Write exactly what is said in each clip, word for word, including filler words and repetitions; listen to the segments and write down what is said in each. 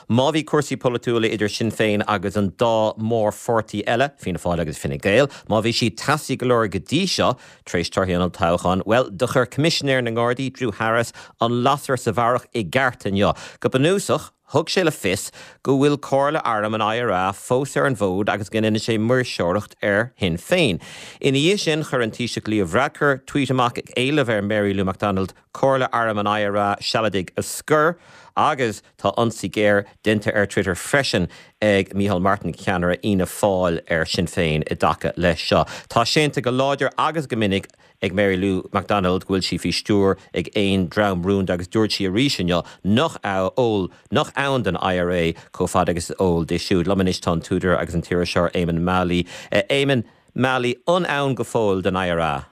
Má bhí cúrsaí polaitiúla idir Sinn Féin agus an dá mhórpháirtí eile, Fianna Fáil agus Fine Gael, má bhí sí teasaí go leor go dtí seo tar éis torthaí an toghcháin, well do chuir Coimisinéir na nGardaí Drew Harris an lasair sa bharrach i gceart inniu. Go bunúsach, thug sé le fios go bhfuil Comhairle Airm an IRA fós ar an bhfód agus go ndéanann sé maoirseoireacht ar Shinn Féin. Ina dhiaidh sin chuir an Taoiseach Leo Varadkar tweet amach ag éileamh ar Mary Lou McDonald Comhairle Airm an IRA sealadaigh a scor agus tá ionsaí géar déanta ar Twitter freisin ag Micheál Martin ceannaire Fhianna Fáil ar Sinn Féin i dtaca leis seo. Tá séanta go láidir agus go minic ag Mary Lou McDonald go bhfuil sí faoi stiúir ag aon dream rúnda agus dúirt sí arís inniu nach eol nach ann don IRA chomh fada agus eol di siúd. Liom anois tá an t-údar agus an t-iriseoir Eamonn Mallie. Uh, Eamonn Mallie an ann go fóill don IRA.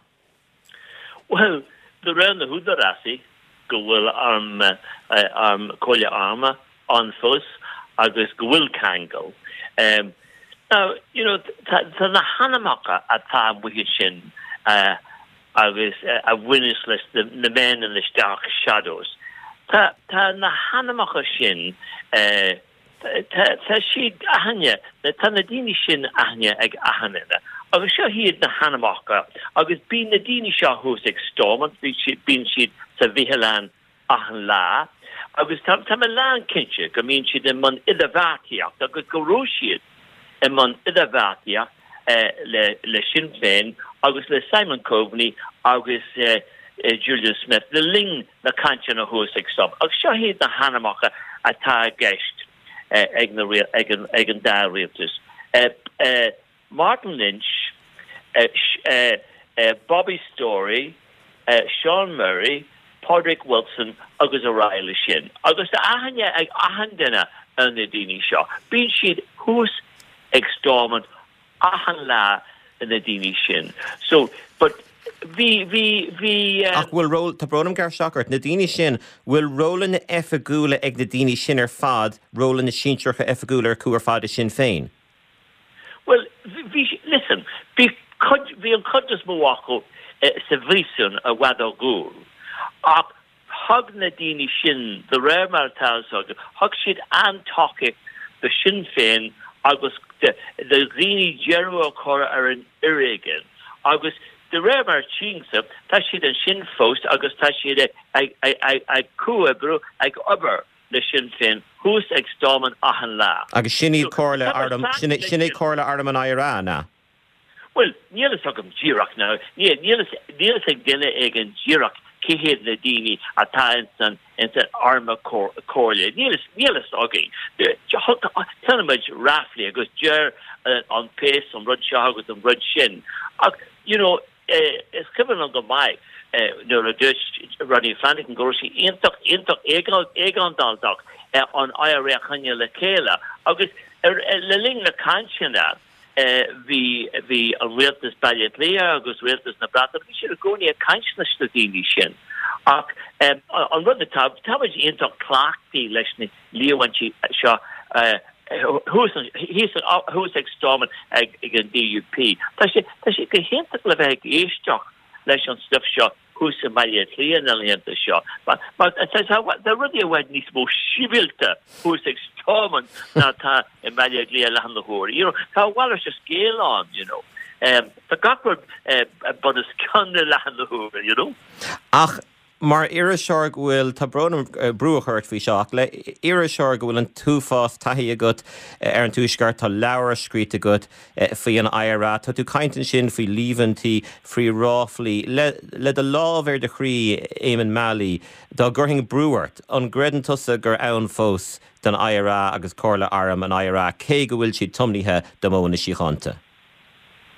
Well, de réir na húdaráis go bhfuil arm arm Comhairle Arm ann fós agus go bhfuil ceangal. Um, now, you know, tá na hainmneacha atá amuigh sin uh, agus uh, a bhaineas leis the, the men in the dark shadows. Tá tá na hainmneacha sin uh, tá siad aithne tá na daoine sin aithne ag aithne. Agus seo hiad na hainmneacha agus bíonn na daoine seo thuas ag Stormont bíonn siad sa bhialann achan lá, agus tá tá mé lánchinnte go mbíonn siad i mbun idirbheartaíocht agus go raibh siad i mbun idirbheartaíocht eh, le le Sinn Féin agus le Simon Coveney agus eh, eh, Julian Smith le linn na cainteanna thuas ag Stormont. Agus seo hiad na hainmneacha atá i gceist eh, ag na ag an ag an dá rialtas. Eh, eh, Martin Lynch, eh, eh, eh, Bobby Storey, eh, Sean Murray, Padraig Wilson agus araile sin. Agus tá aithne ag achan duine ar na daoine seo. Bíonn siad thuas ag Stormont achan lá na daoine sin. So but bhí bhí bhí ach bhfuil ról tá brón orm gearradh ort na daoine sin bhfuil rólanna oifigiúla ag na daoine sin ar fad rólanna sinsearacha oifigiúla acu ar fad i Sinn Féin. Well bhí listen bhí bhí an chuid is mó acu eh, sa bpríosún i bhfad ó dhúil. Ach thug na daoine sin de réir mar atá thug siad an-tacaíocht do Sinn Féin agus de dhaoine deireadh a chur ar an fhoréigean. Agus de réir mar tchímse tá siad ansin fós agus tá siad ag ag comhoibriú ag obair le Sinn Féin thuas ag Stormont achan lá. Agus sin iad Comhairle Arm sin é Comhairle Arm an IRA ná. Well, níl a fhios agam díreach ná níl ag duine ag an díreach cé hiad na daoine atá san in san arm comhairle. Níl níl a fhios againn. Tuigimid ráflaí agus deir an péas an rud seo agus an rud sin. Ach you know, eh, is cuimhin go maith eh, nuair a dúirt Rodney Flanagan go raibh sé iontach iontach éigeantach eh, an IRA a choinneáil le chéile agus er, le linn na cainteanna bhí bhí an rialtas Baile Átha Cliath agus rialtas na Breataine bhí siad i gcónaí ag caint leis na daoine sin. Ach um, an rud tá iontach cleachtaithe leis na líomhaintí seo thuas ag Stormont ag ag an DUP. Tá sé tá sé go hiontach le bheith ag éisteacht leis an stuff seo thuas i mBaile Átha Cliath na laethanta seo. Mar tá rudaí i bhfad níos mó sibhialta thuas ag Stormont ná tá i mBaile Átha Cliath leathuair na huair. You know, tá bhil se scéal an, you know. Um, tá gach rud uh, bun os cionn leathuair na huair, you know. Ach mar iriseoir go bhfuil tá brón brú a chur faoi seo le iriseoir go bhfuil an t-uafás taithí agat ar an tuaisceart tá leabhar scríte agat faoi an IRA Tá tú ag caint ansin faoi líomhaintí faoi ráflaí le, le do lámh ar do chroí Eamonn Mallie dá gcuirfinn brú ort an gcreideann tusa gur ann fós don IRA agus Comhairle Arm an IRA cé go bhfuil siad tiomnaithe do mhodhanna síochánta.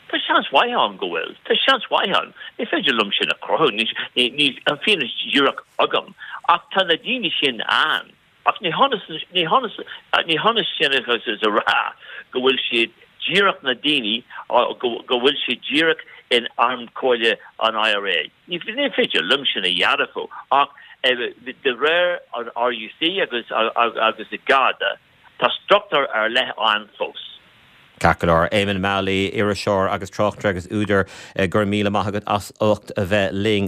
Tá seans mhaith ann go bhfuil Tá seans mhaith ann Ní féidir liom sin a chruthú ní an fianaise díreach agam ach tá na daoine sin ann ach ní ní ní hionann sin is a rá go bhfuil siad díreach na daoine go bhfuil siad díreach in arm comhairle an IRA. Ní ní féidir liom sin a dhearbhú ach de réir an RUC agus agus i Garda tá struchtúr ar leith ann fós. Ceart go leor Eamonn Mallie iriseoir agus tráchtaire agus údar gur míle maith agat as ucht a bheith linn